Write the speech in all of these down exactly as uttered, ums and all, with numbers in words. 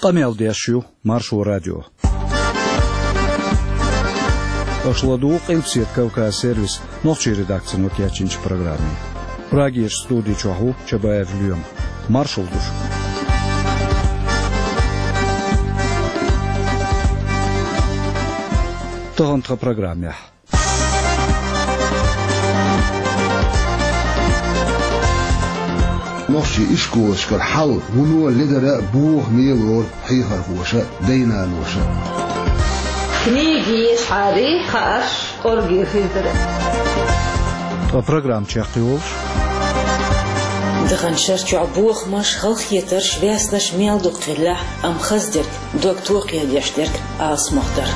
Къамел деш ю Маршо радио. Аша ладугӀу Къилбаседа Кавказ сервисан нохчийн редакцино кечйинчу программе. Прагерчу студи чохь ву Чабаев Лоьма. Маршалла ду шуьга. Тахана тхан программехь. Нохчийн ишколашкара хьал вуно ледара бохаме лору хьехархоша а, дай-наноша а. Книги ешхьарий, хаарш кӀорге хир дара. Ткъа программа чекхйолуш. Даханчу шарчохь бохамаш, халахетарш, ваьснаш мел дукха хиллехь а, амма хаза дерг, дог токхедеш дерг алсамох дара.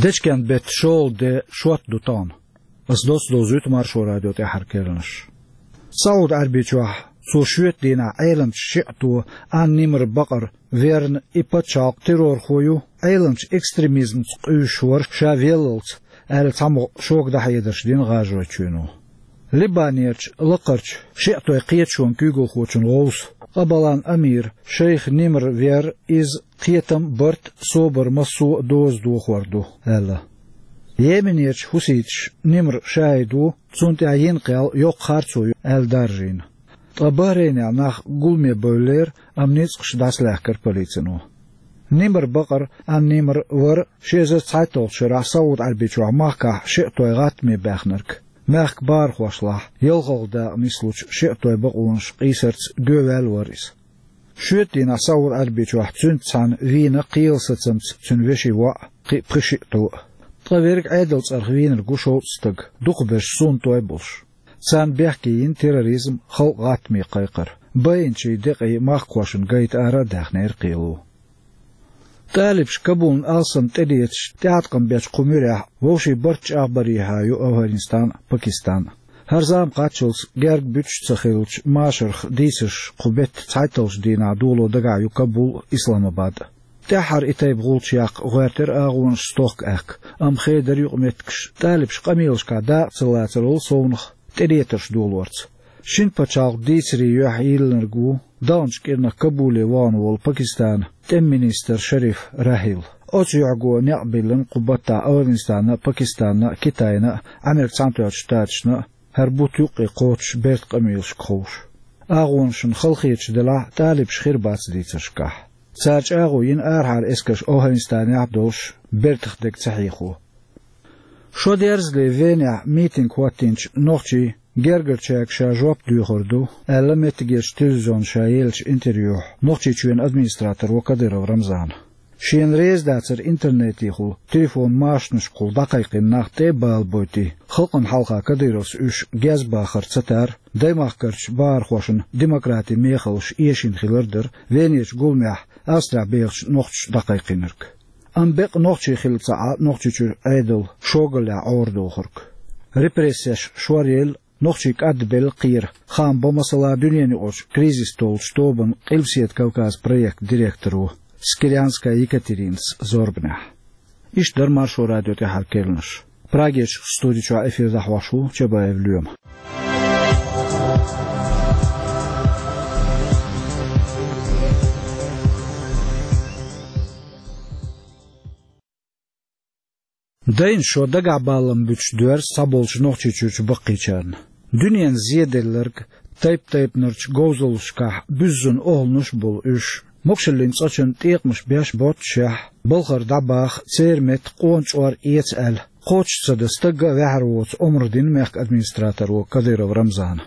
Дечкен-беттан шолгӀа де шот ду тахана. Ас доцца довзуьйту Маршо радион тӀаьххьара керланаш. СаӀуд-Ӏаьрбийчохь цо шоьтан дийнахь Ӏеламчу шиӀто Ан-Нимр Бакъар верна, и пачхьалкх террорхо ю, Ӏеламчу экстремизмца къуьйсуш вара ша веллалц, аьлла, цхьамогӀа шога дӀахьедарш дина ГӀажаройчоьно. Либанерчу лакхарчу шиӀатойн кхеташонан куьйгалхочун гӀовса Къабалан амира шайх Нимр вер, иза кхетам, барт, собар массо а доза дохор ду, аьлла. Йеменерчу хьуситаша Нимр шахӀид ву, цунна тӀехь йина кхел йоккха харцо ю, аьлла, даржийна. Ткъа Бахрейнехь нах гуламе бевллера, амма ницкъаш дӀасалаьхкира полицино. Нимр Бакъар Ан-Нимр вара ши эзар цхьайтталгӀачу шарахь СаӀуд-Ӏаьрбийчохь махкахь шиӀатойн гӀаттаме баьхнарг. Мехкан бахархошлахь, ялхалгӀа дакъа нислучу шиӀатойн бакъонаш къийсарца гоьваьлла вара иза. Шоьтан дийнахь СаӀуд-Ӏаьрбийчохь цуьнца цхьаьна вийна кхелан сацамца цуьнан вешин воӀ, кхин а пхи-шиъ тӀо а. Ткъа верг Ӏедалан цӀарах вийнарг ву шовзткъа стаг, дукхахберш суннатой болуш. Царна бехке йина терроризм, халкъан гӀаттаме кхайкхар, байинчийн декъий махкахошна гайта ара а даьхнера кхело. ТӀалибаша Кабулна алсам тӀелеташ тӀеӀаткъам бечу кху муьрехь вовшийн барт чӀагӀбарехьа ю Афганистан а, Пакистан а. ХӀара зама кхаччалц герга буьтуш ца хиллачу машарх дийцарш кху беттан цхьайтталгӀачу дийнахь доло дагахь ю Кабул а, Исламабад а. ТӀаьххьара и тайпа гӀулч яккха гӀоьртира агӀонаш стохка-аьхка, амма хедара юкъаметтигаш, тӀалибаш къамелашкахь дакъа ца лацарал совнаха тӀелетарш долорца. Шина пачхьалкхан дийцарийн юьхь йиллинарг ву даханчу кӀирнах Кабуле вахана волу Пакистанан тӀеман министр Шариф Рахил. Оцу юьхьго некъ биллина кху баттахь Афганистанна а, Пакистанна а, Китайна а, Ӏамеркан Цхьаьнатоьхначу Штаташна а, хӀара бутт юккъе кхочуш бертан къамелашка ховш. АгӀонашна халахеташ делахь а, тӀалибаш хир бац дийцаршкахь. Цара чӀагӀо йина арахьара эскарш Афганистанехь а долуш, бертах дерг ца хьехо. Шо дерзале Венехь митинг хӀоттийначу нохчийн гергарчаьрга ша жоп доьхур ду, аьлла, меттигерчу телевизионна ша еллачу интервьюхь Нохчийчоьнан администраторо Кадыров Рамзана. Шена реза дацара интернетехула, телефон-машанашкахула дӀакхайкхийна нах тӀе а балабойтий, халкъана хьалха Кадыровс уьш гезбахар ца тар, даймахкарчу бахархошна демократин мехаллаш эшийна хилар дара Венерчу гуламехь Австрехь бехачу нохчаша дӀакхайкхийнарг. Амма бекъа нохчий хилла ца Ӏа Нохчийчуьра Ӏедал шогаллехь Ӏорадохург. Репрессеш шоръелла, нохчий кӀадбелла кхера хаам бан, масала, дуьненаюкъарчу кризис толлучу тобанан Къилбаседа Кавказ проектан директоро Скирянская Екатеринас зорбанехь. Иштта дара Маршо радион тӀаьххьара керланаш. Прагерчу студи чохь эфир дӀахьош ву Чабаев Лоьма. Дайна шо дагахь балам буьтуш доьрзу цхьаболчу Нохчийчуьрчу баккхийчарна. Дуьненан зеделларг, тайп-тайпанарчу говзаллашкахь буьззина охӀланаш а болу уьш, могашаллин цӀа чун тӀекъамаш беш боццушехь, балхара дӀабаха, церан метта къона чкъор эца аьлла, кхочуш ца дан стагга а ваьхьар воцу омра дина мехкан администраторо Кадыров Рамзана.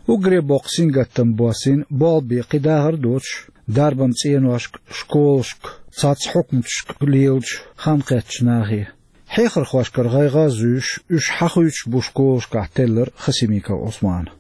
Уггаре боккха сингаттам боссийна болх бе кхин дахар а доцуш, дарбан цӀеношка, школашка, цхьацца хьукматашка лелачу хан кхеттачу нахе. Хьехархошкара гӀайгӀа а зуьйш, уьш хьахуьйцуш бу школашкахь теллар Хасимиков Ӏусмана.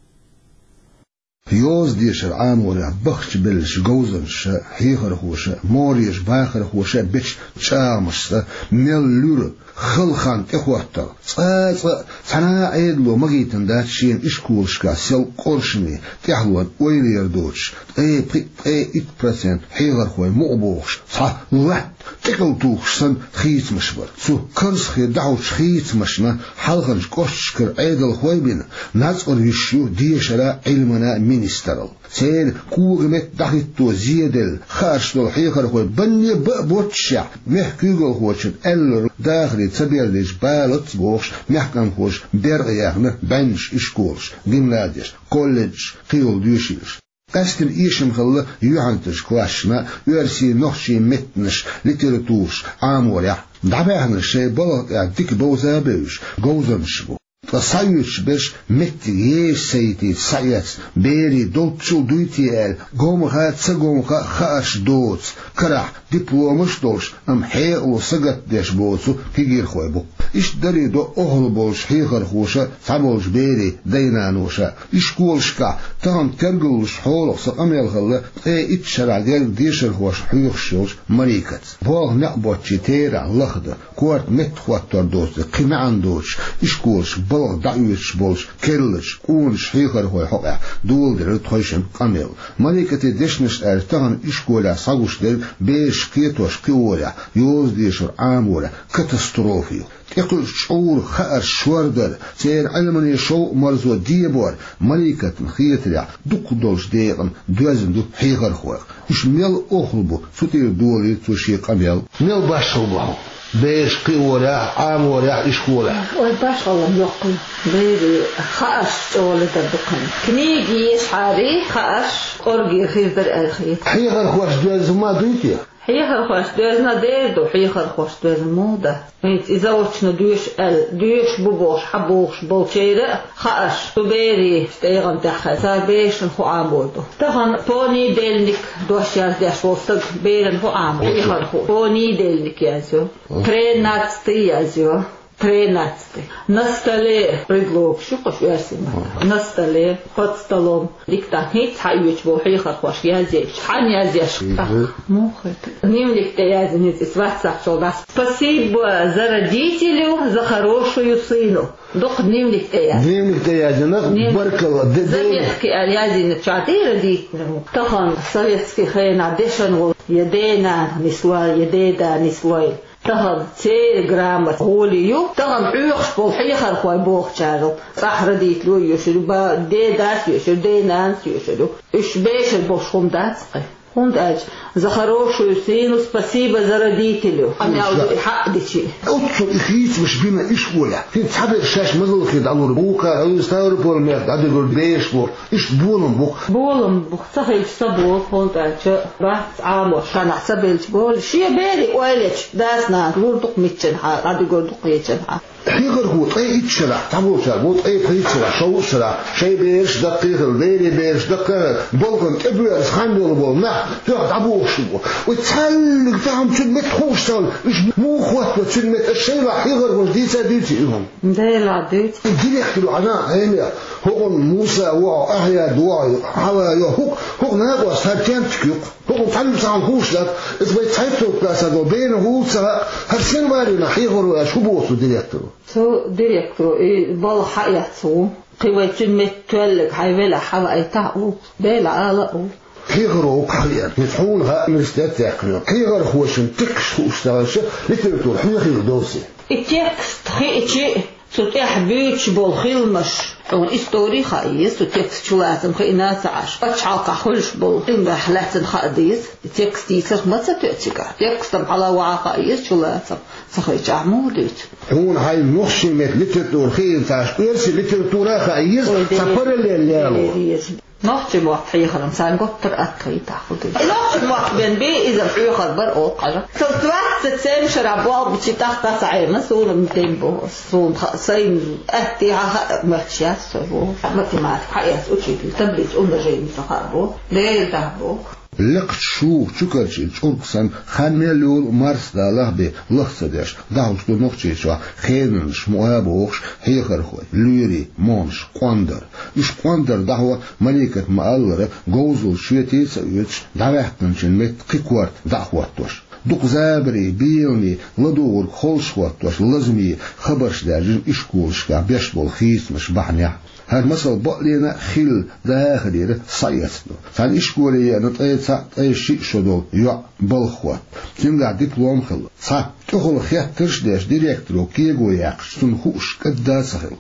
Йоза дешар Ӏаморехь бахчабеллачу говзанчаша а, хьехархоша а, могӀарерчу бахархоша а бечу чӀагӀамашца мел луьра Хала хан тӀехӀоттал. Цкъа а цкъа а цхьана а Ӏедало магийтина дац шена ишколашкахь сел къоршаме, тӀаьхьалонна ойла яр доцуш, ткъе пхиъ, ткъе итт процент хьехархой мукъа бохуш, цхьа латта тӀекӀал тухуш санна хийцамаш бара. Цу карзахе дӀахьочу хийцамашна хьалхарчу кӀошташкара Ӏедалхой а бина, нацкъара йиш ю дешара а, Ӏилмана а министралла. Церан кога-метта дӀахӀитто зеделла хаарш долу хьехархой банне бан а боццушехь, мехкан куьйгалхочунна аьлларг дахаре ца бердича балац а бохуш, мехкан кхочуш беркъа яьхна бӀеннаш ишколаш, гимназеш, колледжаш, кхин йолу доьшийлаш. Къаьсттина эшам хилла юьхьанцарчу классашна оьрсийн, нохчийн меттанаш, литератураш Ӏаморехь. ДӀабаьхнарш шайн балха тӀехь дика бовза а бевзаш, говзанчаш бу. Ткъа схьаоьцуш берш меттиг еза ца йитийта схьаэцна, берийн долччул дуй те аьлла, гомха а, ца гомха а хаарш доцу, карахь дипломаш а долуш, амма хьекъало сагатдеш боцу кегийрхой бу. Иштта даре до охьалла болчу хьехархоша а, цхьаболчу берийн дай-наноша а. Ишколашкахь тахана тергаллуш хьолах сан къамел хилла, ткъе итт шарахь герга дешархошна хьоьхуш йолчу Марикаца. Болх некъ боцчийн терахь лахдан, корта меттахӀоттор доцург кхин маьӀна доцуш, ишколашка балха дӀаоьцуш болчу керла чу къоначу хьехархойн хьокъехь доладелира тхойшинна къамел. Марикатин дешнашна аьлча, тахана ишколехь схьагуш дерг бераш кхетош-кхиорехь, йоза-дешар Ӏаморехь катастрофа ю. ТӀекхуьучу чкъуран хаарш шордар, церан Ӏилманан шовкъ-марзо дебор, Марикатна хетарехь, дукхах долчу декъана доьзна ду хьехархойх. Уьш мел охьалла бу, цу тӀера долийра цо шен къамел. Мел башхалла бу хьуна бераш кхиорехь, Ӏаморехь ишколехь? Ой, башхалла йоккха ю. Берийн хаарш чӀогӀа ледар ду кхин. Книга ешахьара, хаарш кӀоргера хир дара аьлла хета. Хьехархоша доьзна ма дуй те? Хьехархоша доьзна дер ду, хьехархоша доьзна муха дац? ХӀинца и заочно доьшу аьлла, доьшуш бу бохуш, хьан бохуш болчеран а хаарш цу берийн тӀегӀан тӀехь хезна, цара берашна хӀун Ӏамор ду. Тахана понедельник дош яздеш волу стаг берана хӀун Ӏамор ду? Хьехархо понедельник язйо, тринадцатый язйо. Тринадцатый. На столе предлогаш ю кхуш оьрсийн маттахь. На столе, под столом. Диктант хӀинца схьаоьцуш болу хьехархоша язйечу. Хьан язъеш? Мгм. Муха хета? Дневник тӀе язйина иза, ватсап чохь дац. Спасибо за родителю, за хорошую сыну. Дукха дневник тӀе язйина. Дневник тӀе язйина, дневник. Баркалла, де-, де- Заметки аьлла язйина чохь, де родителю. Тахана советский хенахь дешна волу я ден-нана нислой, я ден-да нислой. Тахана церан грамота гӀоли ю, тахана хьоьхуш болу хьехархой бохучара. ЦӀахь родитель йоьшур ю, ба-, дедас йоьшур, денанас йоьшур ю. Уьш бешар болуш хӀума дац кхин. ХӀунда аьлча, за хорошую сыну спасибо за родителю. Амма аьлла ду и хьаъ дичи. Оццул и хийцамаш бина ишколехь. ХӀинца цхьаберш шаьш мазаллахе дӀалур бу, вукхара Ставрополь-мехка дӀадуьгур бераш бу. Иштта болам бу-кх. Болам бу-кх, ца хилча ца болу, хӀунда аьлча бац Ӏамош, шанахь ца белча болу. Шен берийн ойла ечу дас-нанас лур ду-кх миччанхьа, дӀадуьгур ду-кх кхечанхьа. Хьехархо ткъе итт шарахь, цхьаболчара боху ткъе пхийтта шарахь, шовзткъа шарахь, шайн бераш даккхий хилла, берийн бераш даккхий хилла, балхана тӀебоьрзу хан йолу болу нах тоьхна дӀабохуш бу. Вай цхьаьллиг тахана цуьнан метта хууш ца хилла, уьш муха хӀоттаво цуьнан метта, аш шайлахь хьехархоша дийца а дуьйций и хӀума? Делахь дуьйцу. И директор ву хьажа хьенех, хӀокхунна Муса ву хьо, Ахьяд ву хьо, Хьава йо, хӀокху, хӀокху накъост хӀара тентик ю-кх. ХӀокхунна цхьаьнга цхьаьна хууш дац, иза вай цхьайтта классехь долу берана хӀула ца хаьа, хӀара сенварина хьехаро аьлла хӀун боху цу директоро? Цу директоро и балха хьаэцна ву. Кхин вай цуьнан метта тоьлларг хьайн велахь хьаваийтахьа а ву, Делахь ала а ву. Хьехаро ву-кх хьан веана. Иза хьуна хаьа, университет а яьккхина. Хьехархошна текст хууш ца хилча, литература хьоьхийла довзий? И текст хиъча, цу тӀехь буьйцуш болу хиламаш, хьуна истори а хаа еза, цу текст чулацам хиъна а ца Ӏаш. Пачхьалкхахь хуьлуш болу хиламех лаьцна хаа деза. И текст йийцарх ма ца тоьа цигахь. Текстам хьала а ваха хаа еза, чулацам ца хиъчахь муха дуьйцу? Хьуна хьайн нохчийн меттан литература хиъна ца Ӏаш, оьрсийн литература а хаа еза, ой, цхьа Дела, параллель яло. Дела реза. Нохчийн мотт хьехаран царна готтар атта хетахь хӀун ду? Нохчийн мотт бен бен иза хьоьхур бара оха хьажа. Цо двадцать семь шарахь болх бича тӀаккха ца Ӏемина, суна-м ден бу, суна ха-, сайна атта хьан хаа моьттуш яц со бу. Математика хьаэцна учитель, таблица умножения ца хаа бу. Дера дахь бу. Лекхачу шуха чукарчийна чӀург санна, хан мел йолу марсдалахь бен лах ца деш, дӀахьуш ду Нохчийчохь хенанаш мукъа а бохуш хьехархой, лоьрийн могӀанаш къондар. Уьш къондар дӀахьо, Маликата ма-аллара, говзалла шоьте а ца оьцуш, дӀаваьккхинчун метта кхин корта дӀа а хӀоттош. Дукха забаре, беламе, ладугӀург холш хӀоттош, лазаме хабарш даьржина ишколашкахь беш болу хийцамаш бахьанехь. ХӀара масал бакъдерг а хилла, дахарера схьаэцна ду. Цхьана ишколе еана ткъе цхьаъ, ткъе шиъ шо долу йоӀ балха хӀотта. Цуьнгахь диплом хилла. Цхьа тӀехула хеттарш а деш, директоро кего яьккхича, цунна хууш кӀадда а ца хилла.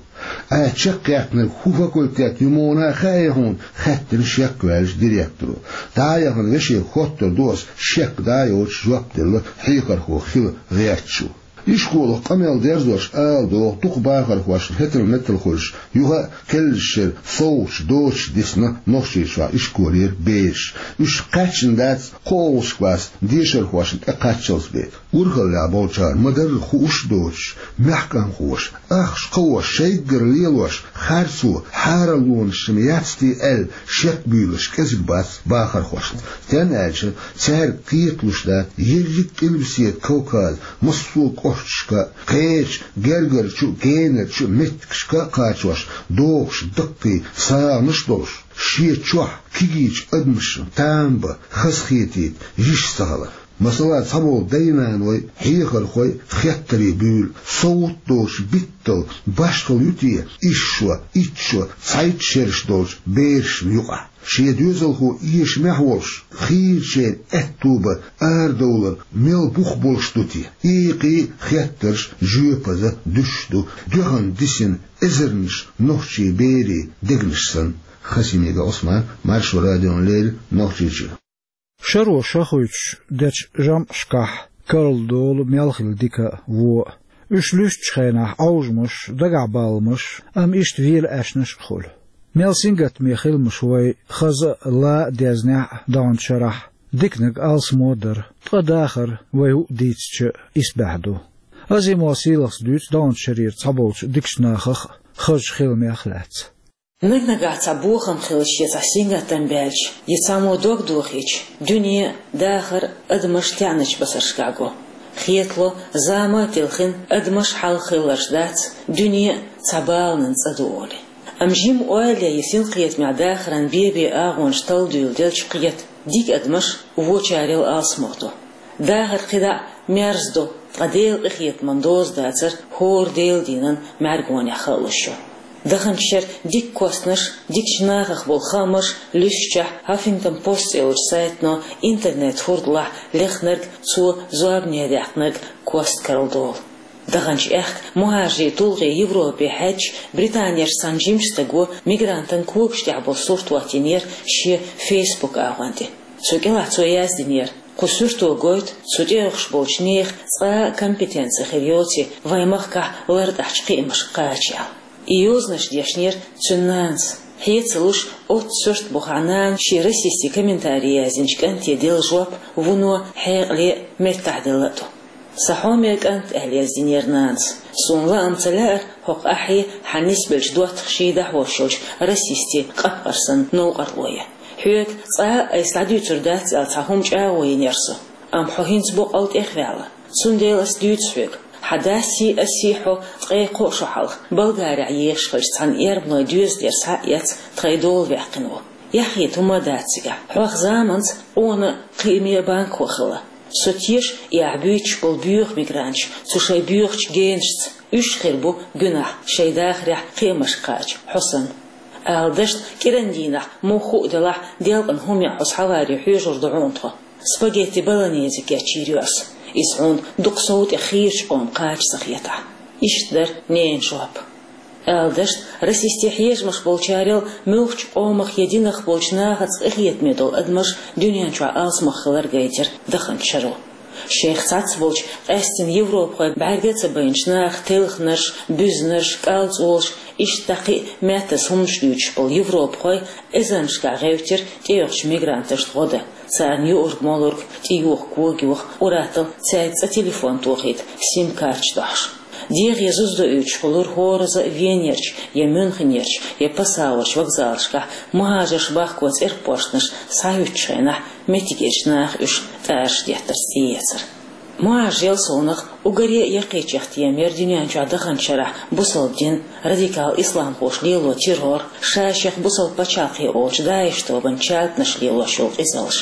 «Ай, чекхъяьккхинарг хӀун факультет ю, муха хаьий хьуна?» — хаьттина шек ваьлча директоро. «ДӀа а яхана, вешега хоттур ду ас, шек дӀа а йоцуш», — жоп делла хьехархо хила гӀерташ ву. Ишколах къамел дерзош ала догӀу, дукха бахархошна хӀетал-метал хуьлуш, юха а кхеллачу шеран совгӀаташ доцуш дисна Нохчийчохь ишколера бераш. Уьш кхаьчна дац кхоалгӀачу классан дешархошна тӀекхаччалц бен. Урхаллехь болчара ма-дарра хууш а доцуш, мехкан хӀоьтиша, ахча кхоош, шайггара лелош, харцо, хьараллонаш шина яц те аьлла, шек буьйлуш кӀезиг бац бахархошна. Стенна аьлча, цаьрга кхеталуш дац ерриг а Къилбаседа Кавказан массо а кӀошташка, кхечу гергарчу а, генарчу а меттигашка а кхачош, догӀуш даккхий сагӀанаш а долуш, шен чохь кегийчу адамашна там бан хазахетийта йиш ца хилар. Масала, цхьаболу дай-наной, хьехархой хеттаре буьйлу, совгӀат а доцуш битталла башхалла ю те исс шо, итт шо, цхьайтта шераш долчу берашна юкъахь? Шен доьзалхо эшамехь волуш, хийрачеран аьтто бан арадовлар мел бух болуш ду те? Иккхий хеттарш жоьпаза дуьсуш ду, дуьхьал дисина эзарнаш нохчийн берийн дегнаш санна. Хасимига Ӏусман, Маршо радиона леррина, Нохчийчоь. Шаро шахуьйтуш дечу жамӀашкахь карладолу мел хилла дика а, вон а. Уьш луьстучу хенахь Ӏовжамаш, дагахь баламаш, амма иштта вела аьшнаш а хуьлу. Мел сингаттаме хиламаш вай хаза а, ла а дезнехь а даханчу шарахь, диканиг алсамо а дара, ткъа дахар вай хӀуъа дийцича а исбаьхьа ду. Азимова Сийлахас дуьйцу даханчу шарера цхьаболчу дикачу нахах а, хазачу хиламех а лаьцна. Наг-нагахь цхьа бохам хилча я цхьа сингаттам баьлча, я цхьаммо дог дохийча, дуьне а, дахар а, адамаш а таьӀначу басаршкахь го. Хетало, зама а телхина, адамаш а хьалха хилларш дац, дуьне а цхьа баланан цӀа ду олий. Амма жимма ойла ян я синкхетамехь дахаран бен-бен агӀонаш талла дуьйладелча, кхета, дика адамаш вочарел алсамо ду. Дахар кхидӀа а мерза ду, ткъа Делан къинхетаман доза дацар хӀора Делан дийнан мӀаьргонехь хаалуш ю. Даханчу шеран дика костнаш, дикачу нахах болу хаамаш луьстучехь, Huffington Post цӀе йолчу сайтано интернет-хурдалахь лехнарг, цо зорбане даьккхинарг кост карладолу. Даханчу аьхка мухӀажарийн тулгӀе Европе хьаьдча, Британерчу цхьана жимачу стага мигрантан когаш тӀехь болу сурт хӀоттийнера шен Facebook агӀон тӀе. Цу кӀелахь цо яздинера: «Кху суьрто гойту цу тӀеоьхуш болчу нехан цкъа а компетенци хир йоций вайн махкахь лартӀахьчу кхиамашка кхача», — аьлла. И йозанаш дешнера цуьнан нанас. Хье ца луш, оццу суьртан бухахь нана шен расистийн комментари яздинчу кӀанте делла жоп вуно хьекъале а, меттахделла а ду. «Сан хьоме кӀант», — аьлла яздинера нанас, — «суна лаам ца лаьара хӀокху ахье хьан нисбеллачу доттагӀашна дӀахьош йолчу расистийн къапкъар санна новкъарло ян. Хьоьга цкъа а айса дӀадуьйцур дац аьлла цхьа хӀума чӀагӀо йинера со. Амма хьо хӀинца боккъал тӀехваьлла. Цундела ас дуьйцу хьоьга. Хьан дасий, асий хьо ткъе кхо шо хьалха Болгарехь ехаш хиллачу цхьана эрмалойн доьзалера схьа а эцна, тхайн дола ваьккхина ву. Яхъйита хӀума а дац цигахь. Хьох заманца къона а, кхиаме а банкахо хилла. Со теша и ахь буьйцуш болу боьха мигранташ цу шайн боьхачу генашца. Уьш хир бу гуьнахь шайн дахарехь кхиамашка кхача хьо санна. Ала дашна, кӀиран дийнахь, муха хӀуъа делахь, делкъана хӀума ян хьо схьаваре хьоьжур ду хьуна тхо. Спагетти болоньезе кечйийр ю ас, иза хьуна дукха сов тӀе хийрачу къоман кхача ца хетахь». Иштта дара ненан жоп. Ала дашна, расистийн хьежамаш болчарел муьлххачу къомах я динах болчу нахаца къинхетаме долу адамаш дуьнен чохь алсамох хилар гайтира даханчу шаро. Шайх цхьацца болчу, къаьсттина европахой бӀаьрга а ца байначу наха телхинарш, буьзнарш, кӀалцӀолаш, иштта кхин а маьттаза хӀуманаш дуьйцуш болу европахой эзарнашкахь гӀевттира тӀеоьхучу мигранташна гӀо дан, царна юург-молург, тӀеюху кога-юха, къуратал цаьрга цкъа телефон тохийта, сим-карташ дохьуш. ДегӀе зуза доуьйтуш хуьлура хӀораза а Венерчу, я Мюнхенерчу, я Пассауерчу вокзалашкахь мухӀажарш бахко цӀерпоштанаш схьахӀуьттучу хенахь, меттигерчу наха уьш тӀараш деттарца тӀеэцар. МухӀажарел совнаха уггаре а яккхийчех тема яра дуьнен чохь даханчу шарахь бусалба дин, радикал исламхоша лело террор, ша-шех бусалба пачхьалкхе олучу ДАИШ тобанан чалтанаш лелош йолу къизаллаш.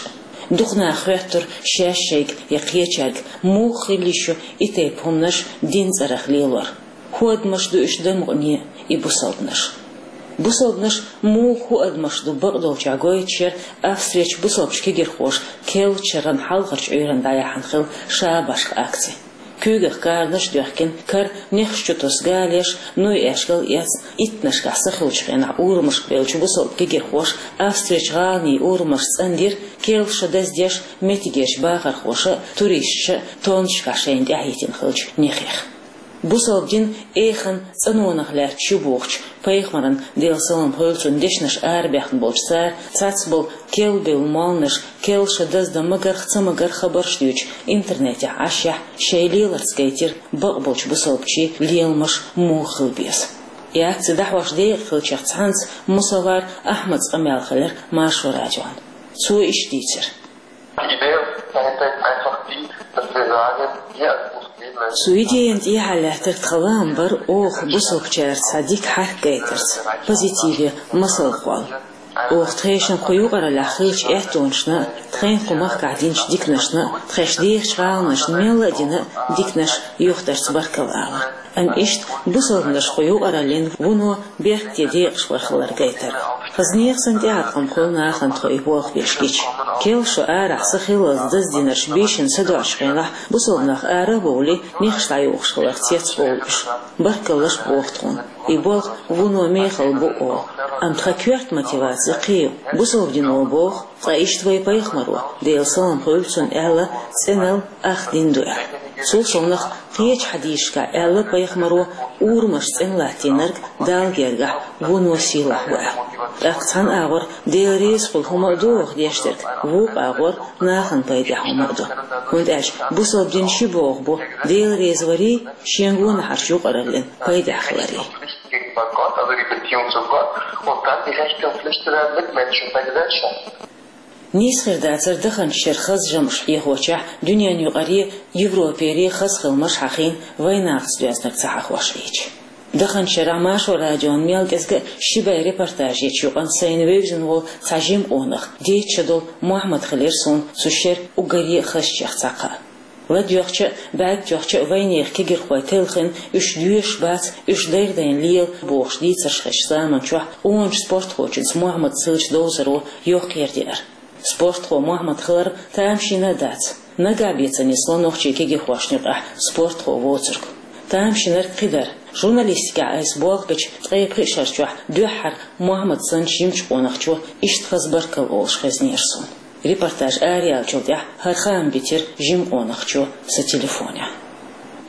Дукха наха хоьттура шаьш-шайга я кхечаьрга, муха хила йиш ю и тайпа хӀуманаш дин цӀерах лелор. ХӀу адамаш ду уьш дамукъане и бусалбанаш? Бусалбанаш муха хӀу адамаш ду бакъдолчохь гойтуш яра Австрерчу бусалбачу кегирхоша керлачу шеран хьалхарчу Ӏуьйранна дӀаяьхьна хилла шабашка акци. Куьйгах каранаш а доьхкина, кара нехаш чу тосу галеш, нуй эшкал эцна, иттаннашкахь са хуьлучу хенахь урамашка бевллачу бусалба кегирхоша Австрерчу гӀаланийн урамаш цӀандира, керла шо даздеш, меттигерчу бахархоша а, туристаша а тоннашкахь шайна тӀаьхьахӀиттина хиллачу нехех. Бусалба дин эханна цӀанонах лаьтташ ю бохучу пайхамаран, Делан салам хуьлда цунна, дешнаш арабаьхна болчу цара цхьацца болу керла бевлла молланаш керла шо даздан магарх а, ца магарх а хабарш дуьйцуш интернетехь Ӏаш, шайн леларца гайтира бакъболчу бусалбачийн леламаш муха хила беза. И акци дӀахьош декъа хиллачех цхьаьнца Мусавар Ахьмадан къамел хилира Маршо радион. Цо иштта дийцира. Die Idee dahinter ist einfach die, dass wir sagen, wir als Muslime Цу идеяна тӀехьа лаьттарг тхан лаам бара оха бусалбачаьрца цхьа дика хьаьрк гайтарца, позитиве масал кхолла. Оха тхешан кху юкъараллехь хиллачу аьттонашна а, тхайна кху махкахь динчу диканашна а, тхаьш дехачу гӀаланашна мелла а дина а диканаш юхатарца баркалла ала. Амма иштта бусалбанаш кху юкъараллин вуно беркате декъаш вар хилар гайтара. Хаза нехан санна тӀеӀаткъам хуьлу нахана тхо и болх беш гича. Керла шо арахь са хиллалц даздинарш бийшина садоӀучу хенахь, бусалбанаш ара а бовлий, нехаш дӀайохуш хилар цецбовлу уьш. Баркаллаш боху тхуна. И болх вуно мехала бу олу. Амма тхан коьрта мотиваци кхин ю. Бусалба дино боху, ткъа иштта вайн пайхамаро, Делан салам хуьлда цунна, аьлла, цӀеналла ах дин ду аьлла. Цул совнаха кхечу хьадисашкахь аьлла пайхамаро, урамаш цӀена латтийнарг Далла гергахь вуно сийлахь ву аьлла. ТӀаккха цхьана агӀор Дела реза хуьлу хӀума а ду оха деш дерг, вукху агӀор нахана пайдехь хӀума а ду. ХӀунда аьлча бусалба дин ши бӀогӀа бу: Дела реза варий, шен гонахьарчу юкъараллин пайдехь хиларий. Gegenüber Gott, also die Beziehung zu Gott, und dann die Rechte und Pflichten der Mitmenschen und der Gesellschaft. Нийса хир дацара даханчу шеран хаза жамӀаш хьехочохь дуьненаюкъаре, Европере хаза хиламаш хьахийна, вайнахаца доьзнарг ца хьахош хилча. Даханчу шарахь Маршо радион мел кӀезга а ши бӀе репортаж ечу юкъана сайна вевзина волу цхьа жима къонах, дейтта шо долу Мохьмад хилира суна цу шеран уггаре а хазачех цхьа кхаъ. ЛадоьгӀча а, бӀаьрг тоьхча а вайнехан кегирхой телхина, уьш доьшуш бац, уьш дайра-дайна лела бохуш дийцарш хезачу заманчохь къоначу спортхочуьнца Мохьмадан хиллачу довзаро йоккха яра деара. Спортхо Мохьмад хилар тамашийна а дац. Нагахь бен ца нисло нохчийн кегирхошна юкъахь спортхо воцург. Тамашийнарг кхидара. Журналистикехь айса болх бечу ткъе пхи шарчохь дуьххьара Мохьмад санначу жимачу къонахчо иштта хаза баркалла олуш хезнера суна. Репортаж араяьллачул тӀаьхьа хӀара хаам битира жима къонахчо сан телефонехь.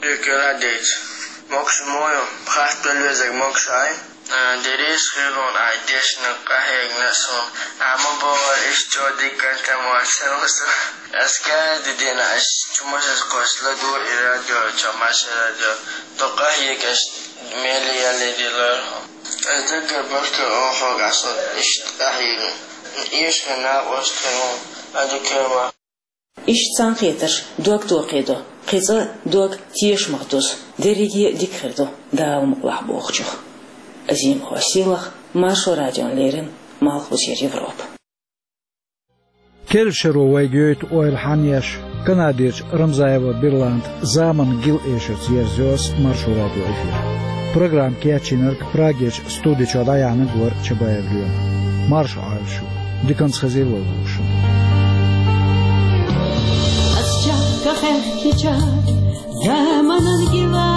Дика ладийца. Могуш ма ю, хатта везарг могуш ай. Э, дерриш хилла ай дешна къахьегна суна. Амма бохура, иштта дика кантам вацара суна. Ас каждый день аш чу машинаш кхочуш ладугӀу и радио, чу машин радио. Ду къахьега аш мели ялли дилар. Ас даггара баркалла олу хьоьга, аш иштта къахьийна. Эшна накъост хилла, ада кема. Иштта цхьаьнакхетарш дог тохедо, кхин цкъа дог тешамах дузу. Дерриге а дика хир ду, Дала мукъалахь бохучух. Азимова Сийлаха, Маршо радиона леррина, Малхбузера Европа. Керла шаро вайга йойту ойла хьанна еш, Канадерчу Рамзаева Берланда заманан гил эшарца ерзайо ас Маршо радион эфир. Программа кечйинарг Прагерчу студи чохь дӀаяьхьнарг вара Чабаев Лема. Марша Ӏойла шу. Диканца хезийла вай вовшашна. Ас чехка хехкича заманан гила,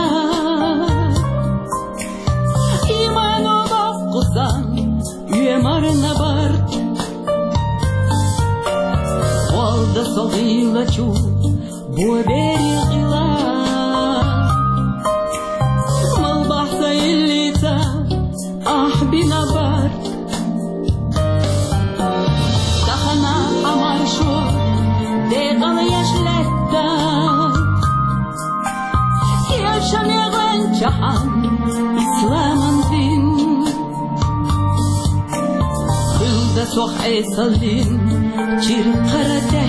имано боккху сан, оьмарна барт. Олда со гӀийлачу бо берриг къила. Мал бахьса иллица ахь бина барт. Тахана Ӏамаршо декъала еш лаьтта. Кешаме гӀанчахьан исламан дин. Хилда сох Ӏесаллин чиркхара тӀе.